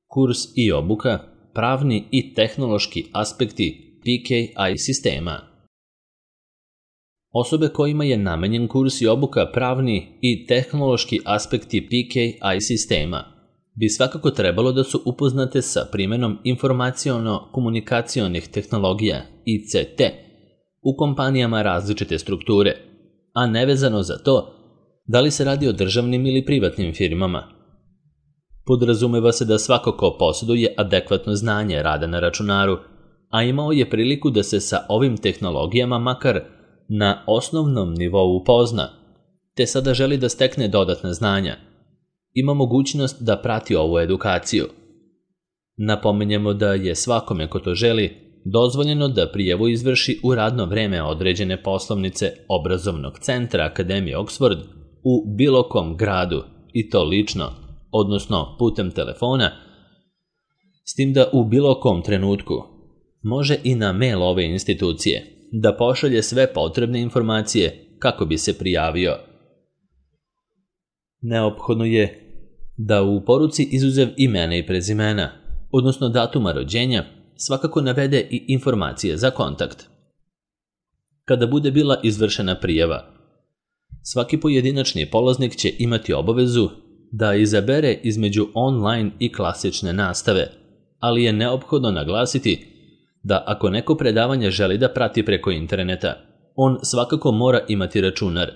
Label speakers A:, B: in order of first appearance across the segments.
A: kurs i obuka, pravni i tehnološki aspekti PKI sistema. Osobe kojima je namenjen kurs i obuka pravni i tehnološki aspekti PKI sistema bi svakako trebalo da su upoznate sa primjenom informaciono-komunikacionih tehnologija ICT u kompanijama različite strukture, a nevezano za to da li se radi o državnim ili privatnim firmama. Podrazumeva se da svako ko posjeduje adekvatno znanje rada na računaru, a imao je priliku da se sa ovim tehnologijama makar na osnovnom nivou upozna, te sada želi da stekne dodatna znanja, ima mogućnost da prati ovu edukaciju. Napominjemo da je svakome ko to želi dozvoljeno da prijavu izvrši u radno vreme određene poslovnice obrazovnog centra Akademije Oxford u bilo kom gradu, i to lično, odnosno putem telefona, s tim da u bilo kom trenutku može i na mail ove institucije da pošalje sve potrebne informacije kako bi se prijavio. Neophodno je da u poruci izuzev imena i prezimena, odnosno datuma rođenja, svakako navede i informacije za kontakt. Kada bude bila izvršena prijava, svaki pojedinačni polaznik će imati obavezu da izabere između online i klasične nastave, ali je neophodno naglasiti da ako neko predavanje želi da prati preko interneta, on svakako mora imati računar,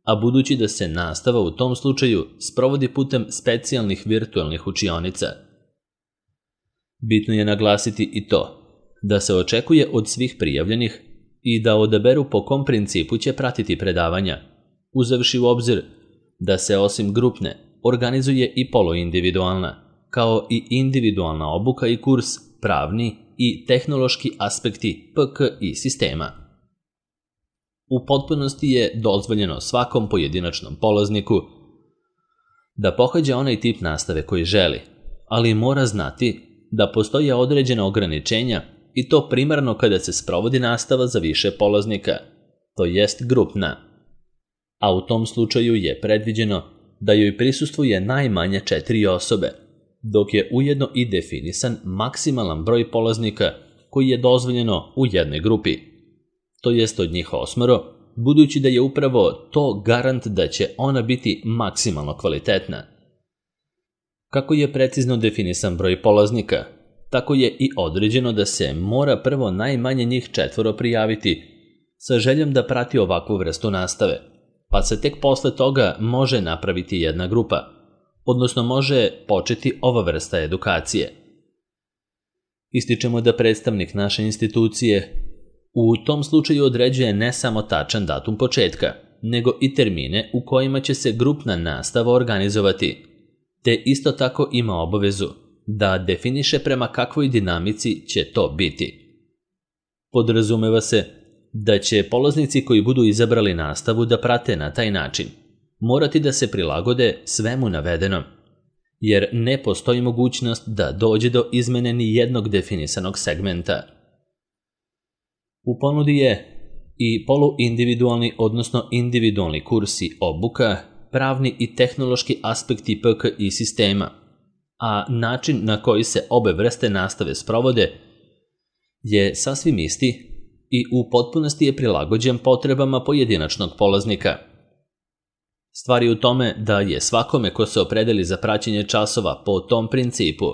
A: a budući da se nastava u tom slučaju sprovodi putem specijalnih virtualnih učionica. Bitno je naglasiti i to da se očekuje od svih prijavljenih i da odaberu po kom principu će pratiti predavanja, uzevši u obzir da se osim grupne organizuje i poluindividualna, kao i individualna obuka i kurs pravni i tehnološki aspekti PKI sistema. U potpunosti je dozvoljeno svakom pojedinačnom polazniku da pohađa onaj tip nastave koji želi, ali mora znati da postoje određena ograničenja i to primarno kada se sprovodi nastava za više polaznika, to jest grupna, a u tom slučaju je predviđeno da joj prisustvuje najmanje 4 osobe, dok je ujedno i definisan maksimalan broj polaznika koji je dozvoljeno u jednoj grupi, to jest od njih 8, budući da je upravo to garant da će ona biti maksimalno kvalitetna. Kako je precizno definisan broj polaznika, tako je i određeno da se mora prvo najmanje njih 4 prijaviti sa željom da prati ovakvu vrstu nastave, pa se tek posle toga može napraviti jedna grupa, odnosno može početi ova vrsta edukacije. Ističemo da predstavnik naše institucije u tom slučaju određuje ne samo tačan datum početka, nego i termine u kojima će se grupna nastava organizovati, te isto tako ima obavezu da definiše prema kakvoj dinamici će to biti. Podrazumeva se da će polaznici koji budu izabrali nastavu da prate na taj način morati da se prilagode svemu navedenom, jer ne postoji mogućnost da dođe do izmene ni jednog definisanog segmenta. U ponudi je i poluindividualni, odnosno individualni kurs i obuka, pravni i tehnološki aspekti PKI sistema, a način na koji se obe vrste nastave sprovode je sasvim isti i u potpunosti je prilagođen potrebama pojedinačnog polaznika. Stvar je u tome da je svakome ko se opredeli za praćenje časova po tom principu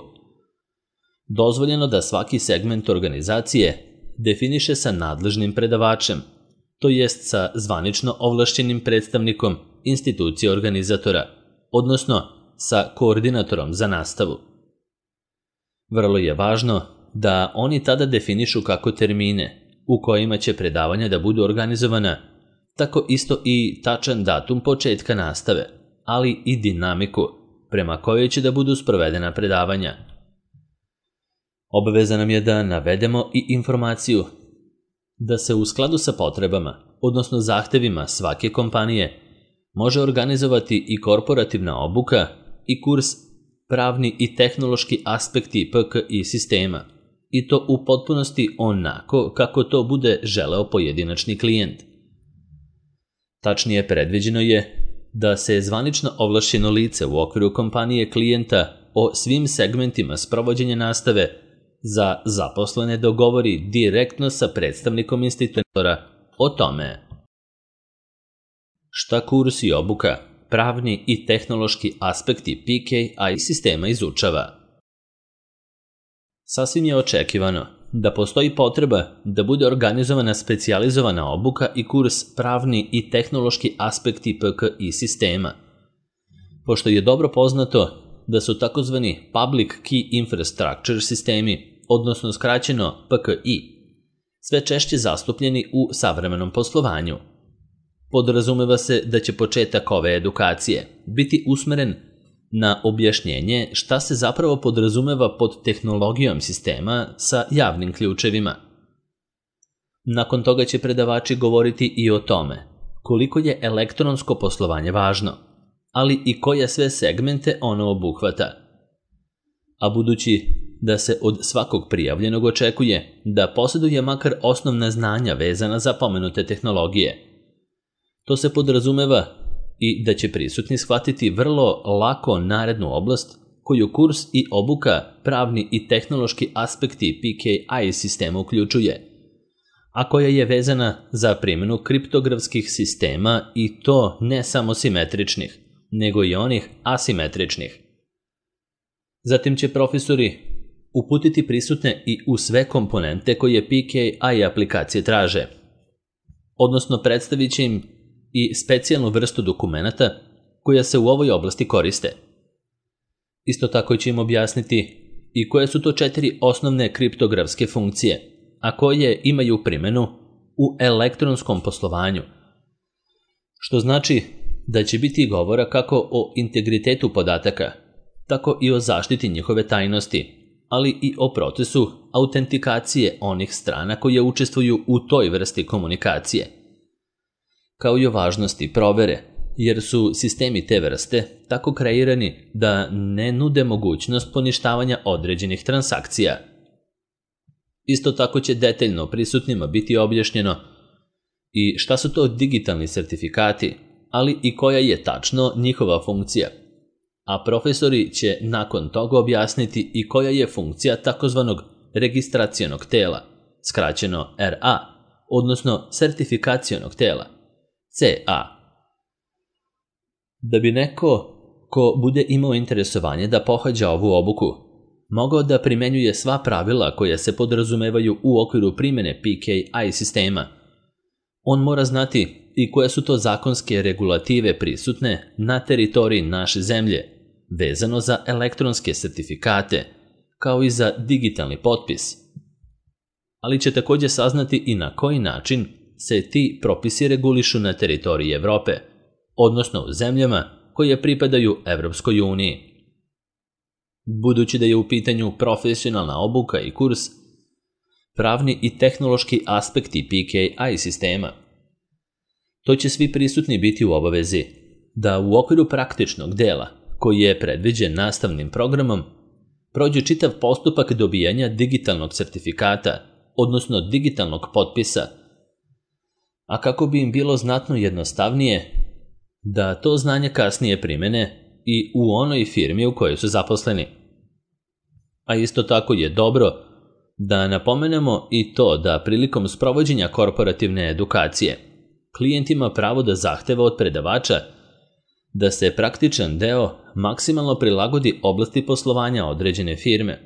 A: dozvoljeno da svaki segment organizacije definiše sa nadležnim predavačem, to jest sa zvanično ovlašćenim predstavnikom institucije organizatora, odnosno sa koordinatorom za nastavu. Vrlo je važno da oni tada definišu kako termine u kojima će predavanja da budu organizovana, tako isto i tačan datum početka nastave, ali i dinamiku prema kojoj će da budu sprovedena predavanja. Obaveza nam je da navedemo i informaciju da se u skladu sa potrebama, odnosno zahtevima svake kompanije, može organizovati i korporativna obuka i kurs pravni i tehnološki aspekti PKI sistema, i to u potpunosti onako kako to bude želeo pojedinačni klijent. Tačnije predviđeno je da se zvanično ovlašćeno lice u okviru kompanije klijenta o svim segmentima sprovođenja nastave za zaposlene dogovori direktno sa predstavnikom institutora o tome. Šta kurs i obuka, pravni i tehnološki aspekti PKI sistema izučava? Sasvim je očekivano da postoji potreba da bude organizovana specijalizovana obuka i kurs pravni i tehnološki aspekti PKI sistema, pošto je dobro poznato da su takozvani Public Key Infrastructure sistemi, odnosno skraćeno PKI, sve češće zastupljeni u savremenom poslovanju. Podrazumeva se da će početak ove edukacije biti usmeren na objašnjenje šta se zapravo podrazumeva pod tehnologijom sistema sa javnim ključevima. Nakon toga će predavači govoriti i o tome koliko je elektronsko poslovanje važno, ali i koje sve segmente ono obuhvata. A budući da se od svakog prijavljenog očekuje da posjeduje makar osnovna znanja vezana za pomenute tehnologije, to se podrazumeva i da će prisutni shvatiti vrlo lako narednu oblast koju kurs i obuka pravni i tehnološki aspekti PKI sistema uključuje, a koja je vezana za primjenu kriptografskih sistema i to ne samo simetričnih, nego i onih asimetričnih. Zatim će profesori uputiti prisutne i u sve komponente koje PKI aplikacije traže, odnosno predstavit će im i specijalnu vrstu dokumenata koja se u ovoj oblasti koriste. Isto tako će im objasniti i koje su to 4 osnovne kriptografske funkcije, a koje imaju primjenu u elektronskom poslovanju, što znači da će biti govora kako o integritetu podataka, tako i o zaštiti njihove tajnosti, ali i o procesu autentikacije onih strana koje učestvuju u toj vrsti komunikacije, kao i o važnosti provere, jer su sistemi te vrste tako kreirani da ne nude mogućnost poništavanja određenih transakcija. Isto tako će detaljno prisutnima biti objašnjeno i šta su to digitalni sertifikati, ali i koja je tačno njihova funkcija. A profesori će nakon toga objasniti i koja je funkcija takozvanog registracionog tela, skraćeno RA, odnosno sertifikacionog tela, CA. Da bi neko ko bude imao interesovanje da pohađa ovu obuku mogao da primenjuje sva pravila koja se podrazumevaju u okviru primjene PKI sistema, on mora znati i koje su to zakonske regulative prisutne na teritoriji naše zemlje, vezano za elektronske sertifikate, kao i za digitalni potpis. Ali će također saznati i na koji način se ti propisi regulišu na teritoriji Evrope, odnosno u zemljama koje pripadaju Evropskoj uniji. Budući da je u pitanju profesionalna obuka i kurs, pravni i tehnološki aspekti PKI sistema, to će svi prisutni biti u obavezi da u okviru praktičnog dela, koji je predviđen nastavnim programom, prođu čitav postupak dobijanja digitalnog sertifikata, odnosno digitalnog potpisa, a kako bi im bilo znatno jednostavnije da to znanje kasnije primene i u onoj firmi u kojoj su zaposleni. A isto tako je dobro da napomenemo i to da prilikom sprovođenja korporativne edukacije klijent ima pravo da zahteva od predavača da se praktičan deo maksimalno prilagodi oblasti poslovanja određene firme,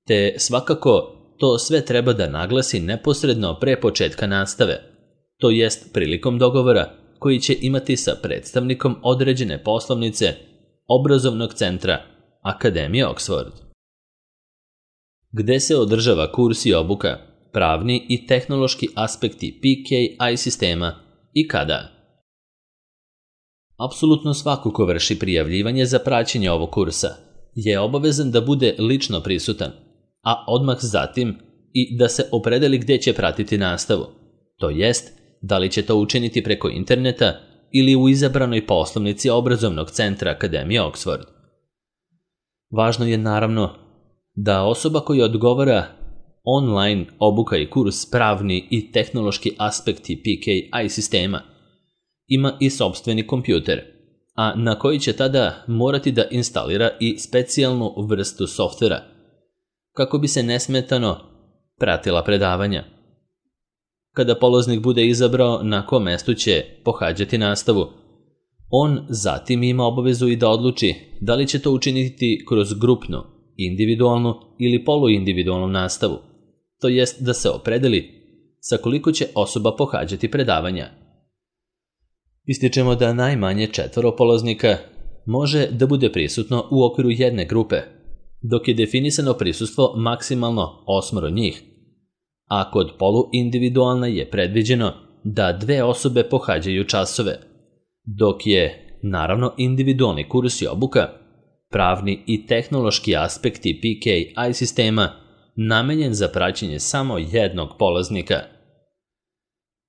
A: te svakako to sve treba da naglasi neposredno pre početka nastave, to jest prilikom dogovora koji će imati sa predstavnikom određene poslovnice obrazovnog centra Akademije Oxford. Gde se održava kurs i obuka, pravni i tehnološki aspekti PKI sistema i kada? Apsolutno svako ko vrši prijavljivanje za praćenje ovog kursa je obavezan da bude lično prisutan, a odmah zatim i da se opredeli gdje će pratiti nastavu, to jest da li će to učiniti preko interneta ili u izabranoj poslovnici obrazovnog centra Akademije Oxford. Važno je naravno da osoba koja odgovara online obuka i kurs pravni i tehnološki aspekti PKI sistema ima i sopstveni kompjuter, a na koji će tada morati da instalira i specijalnu vrstu softvera, kako bi se nesmetano pratila predavanja. Kada polaznik bude izabrao na kom mestu će pohađati nastavu, on zatim ima obavezu i da odluči da li će to učiniti kroz grupnu, individualnu ili poluindividualnu nastavu, to jest da se opredeli sa koliko će osoba pohađati predavanja. Ističemo da najmanje 4 polaznika može da bude prisutno u okviru jedne grupe, dok je definisano prisustvo maksimalno 8 njih, a kod poluindividualne je predviđeno da 2 osobe pohađaju časove, dok je, naravno, individualni kurs i obuka, pravni i tehnološki aspekti PKI sistema namenjen za praćenje samo jednog polaznika.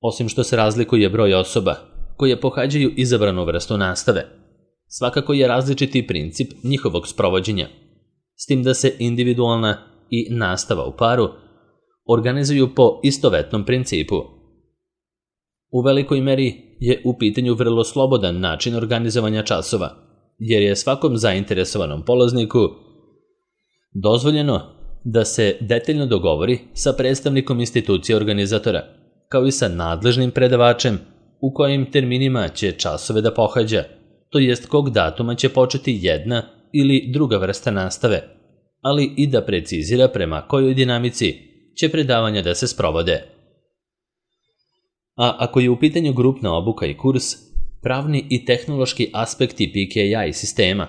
A: Osim što se razlikuje broj osoba koje pohađaju izabranu vrstu nastave, svakako je različiti princip njihovog sprovođenja, s tim da se individualna i nastava u paru organizuju po istovetnom principu. U velikoj meri je u pitanju vrlo slobodan način organizovanja časova, jer je svakom zainteresovanom polazniku dozvoljeno da se detaljno dogovori sa predstavnikom institucije organizatora, kao i sa nadležnim predavačem u kojim terminima će časove da pohađa, to jest kog datuma će početi jedna ili druga vrsta nastave, ali i da precizira prema kojoj dinamici će predavanja da se sprovode. A ako je u pitanju grupna obuka i kurs, pravni i tehnološki aspekti PKI sistema,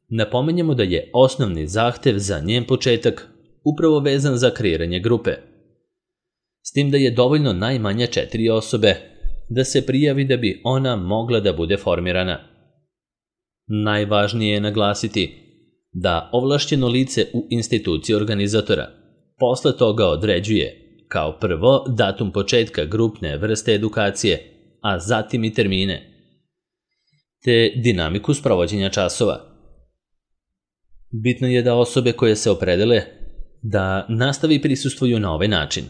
A: napominjemo da je osnovni zahtev za njen početak upravo vezan za kreiranje grupe, s tim da je dovoljno najmanje 4 osobe da se prijavi da bi ona mogla da bude formirana. Najvažnije je naglasiti da ovlašćeno lice u instituciji organizatora posle toga određuje kao prvo datum početka grupne vrste edukacije, a zatim i termine, te dinamiku sprovođenja časova. Bitno je da osobe koje se opredele da nastavi prisustvuju na ovaj način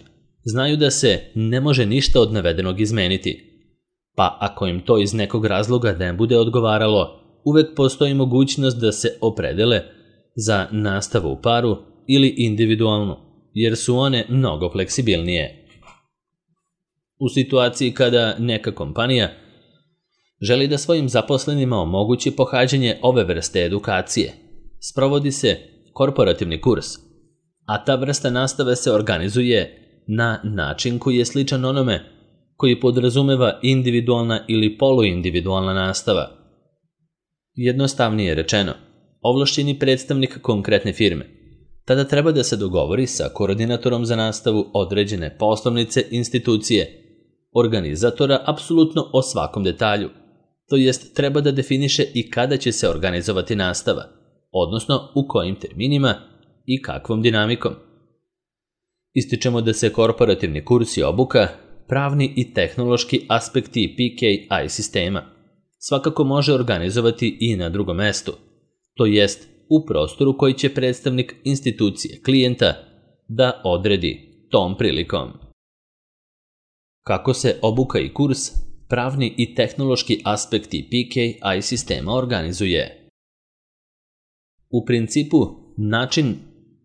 A: znaju da se ne može ništa od navedenog izmeniti, pa ako im to iz nekog razloga ne bude odgovaralo, uvek postoji mogućnost da se opredele za nastavu u paru ili individualnu, jer su one mnogo fleksibilnije. U situaciji kada neka kompanija želi da svojim zaposlenima omogući pohađanje ove vrste edukacije, sprovodi se korporativni kurs, a ta vrsta nastave se organizuje na način koji je sličan onome koji podrazumeva individualna ili poluindividualna nastava. Jednostavnije rečeno, ovlašćeni predstavnik konkretne firme tada treba da se dogovori sa koordinatorom za nastavu određene poslovnice institucije, organizatora apsolutno o svakom detalju, to jest treba da definiše i kada će se organizovati nastava, odnosno u kojim terminima i kakvom dinamikom. Ističemo da se korporativni kurs i obuka, pravni i tehnološki aspekti PKI sistema svakako može organizovati i na drugom mestu, to jest u prostoru koji će predstavnik institucije klijenta da odredi tom prilikom. Kako se obuka i kurs, pravni i tehnološki aspekti PKI sistema organizuje? U principu, način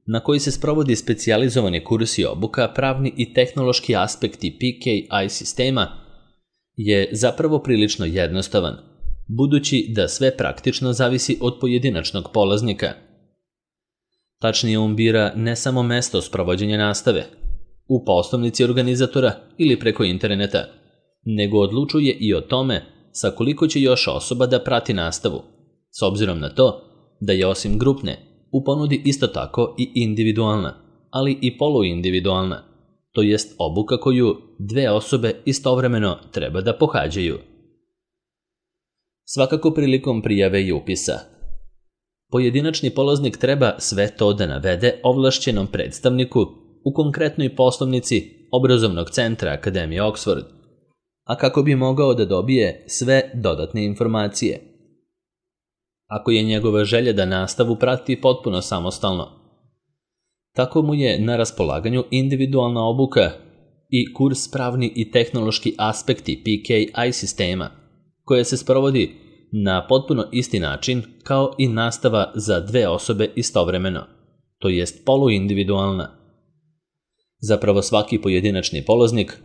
A: na koji se sprovodi specijalizovani kurs i obuka, pravni i tehnološki aspekti PKI sistema je zapravo prilično jednostavan, budući da sve praktično zavisi od pojedinačnog polaznika. Tačnije, on bira ne samo mesto sprovođenja nastave, u poslovnici organizatora ili preko interneta, nego odlučuje i o tome sa koliko će još osoba da prati nastavu, s obzirom na to da je osim grupne u ponudi isto tako i individualna, ali i poluindividualna, to jest obuka koju 2 osobe istovremeno treba da pohađaju. Svakako prilikom prijave i upisa. Pojedinačni polaznik treba sve to da navede ovlašćenom predstavniku u konkretnoj poslovnici obrazovnog centra Akademije Oxford, a kako bi mogao da dobije sve dodatne informacije. Ako je njegova želja da nastavu prati potpuno samostalno, tako mu je na raspolaganju individualna obuka i kurs pravni i tehnološki aspekti PKI sistema, koje se sprovodi na potpuno isti način kao i nastava za 2 osobe istovremeno, to jest poluindividualna. Zapravo svaki pojedinačni polaznik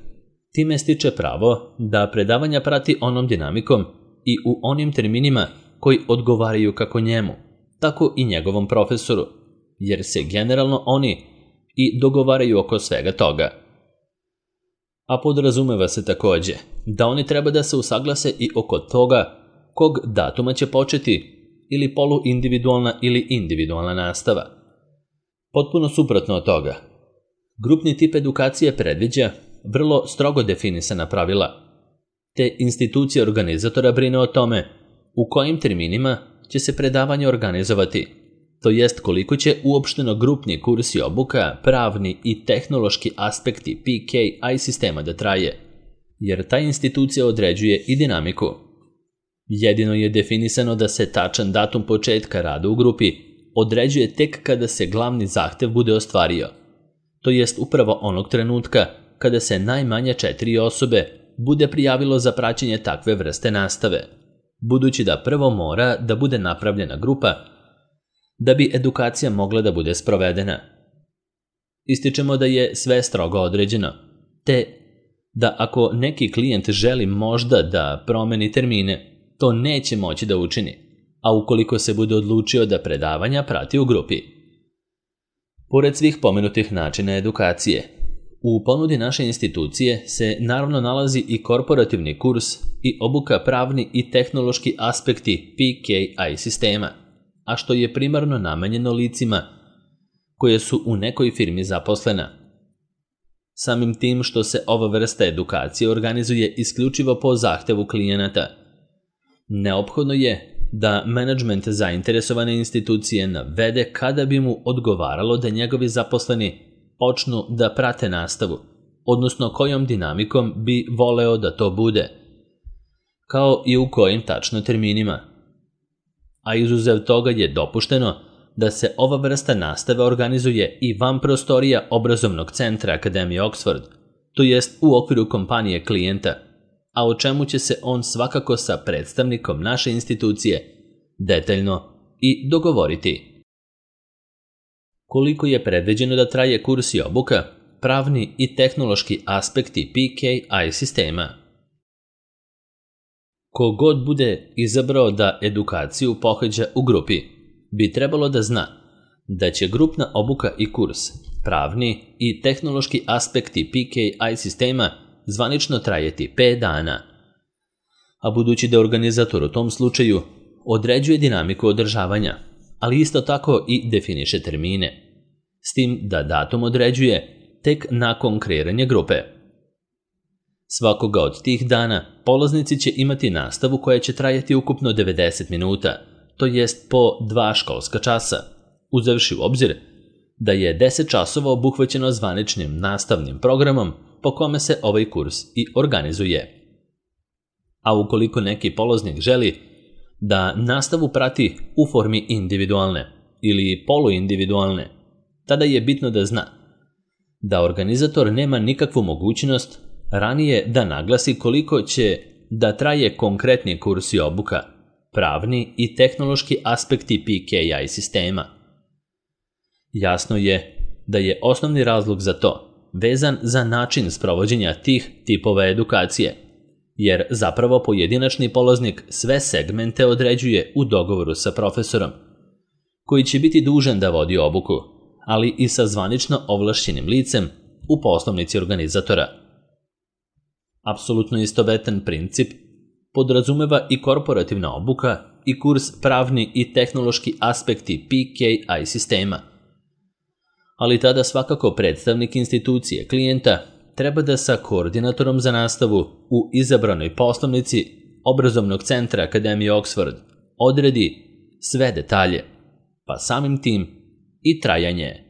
A: time stiče pravo da predavanja prati onom dinamikom i u onim terminima koji odgovaraju kako njemu, tako i njegovom profesoru, jer se generalno oni i dogovaraju oko svega toga. A podrazumeva se takođe da oni treba da se usaglase i oko toga kog datuma će početi ili poluindividualna ili individualna nastava. Potpuno suprotno od toga, grupni tip edukacije predviđa vrlo strogo definisana pravila, te institucija organizatora brine o tome u kojim terminima će se predavanje organizovati, to jest koliko će uopšteno grupni kurs i obuka, pravni i tehnološki aspekti PKI sistema da traje, jer ta institucija određuje i dinamiku. Jedino je definisano da se tačan datum početka rada u grupi određuje tek kada se glavni zahtev bude ostvario, to jest upravo onog trenutka kada se najmanje 4 osobe bude prijavilo za praćenje takve vrste nastave, budući da prvo mora da bude napravljena grupa da bi edukacija mogla da bude sprovedena. Ističemo da je sve strogo određeno, te da ako neki klijent želi možda da promeni termine, to neće moći da učini, a ukoliko se bude odlučio da predavanja prati u grupi. Pored svih pomenutih načina edukacije, u ponudi naše institucije se naravno nalazi i korporativni kurs i obuka pravni i tehnološki aspekti PKI sistema, a što je primarno namenjeno licima koje su u nekoj firmi zaposlena. Samim tim što se ova vrsta edukacije organizuje isključivo po zahtevu klijenata, neophodno je da menadžment zainteresovane institucije navede kada bi mu odgovaralo da njegovi zaposleni počnu da prate nastavu, odnosno kojom dinamikom bi voleo da to bude, kao i u kojim tačno terminima. A izuzev toga je dopušteno da se ova vrsta nastave organizuje i van prostorija obrazovnog centra Akademije Oxford, to jest u okviru kompanije klijenta, a o čemu će se on svakako sa predstavnikom naše institucije detaljno i dogovoriti. Koliko je predviđeno da traje kurs i obuka, pravni i tehnološki aspekti PKI sistema? Kogod bude izabrao da edukaciju pohađa u grupi, bi trebalo da zna da će grupna obuka i kurs, pravni i tehnološki aspekti PKI sistema zvanično trajati 5 dana. A budući da organizator u tom slučaju određuje dinamiku održavanja, ali isto tako i definiše termine, s tim da datum određuje tek nakon kreiranja grupe. Svakoga od tih dana polaznici će imati nastavu koja će trajati ukupno 90 minuta, to jest po 2 školska časa, uzevši u obzir da je 10 časova obuhvaćeno zvaničnim nastavnim programom po kome se ovaj kurs i organizuje. A ukoliko neki polaznik želi da nastavu prati u formi individualne ili poluindividualne, tada je bitno da zna da organizator nema nikakvu mogućnost ranije da naglasi koliko će da traje konkretni kurs i obuka, pravni i tehnološki aspekti PKI sistema. Jasno je da je osnovni razlog za to vezan za način sprovođenja tih tipova edukacije, jer zapravo pojedinačni polaznik sve segmente određuje u dogovoru sa profesorom, koji će biti dužan da vodi obuku, ali i sa zvanično ovlašćenim licem u poslovnici organizatora. Apsolutno istovetan princip podrazumeva i korporativna obuka i kurs pravni i tehnološki aspekti PKI sistema. Ali tada svakako predstavnik institucije klijenta treba da sa koordinatorom za nastavu u izabranoj poslovnici obrazovnog centra Akademije Oxford odredi sve detalje, pa samim tim i trajanje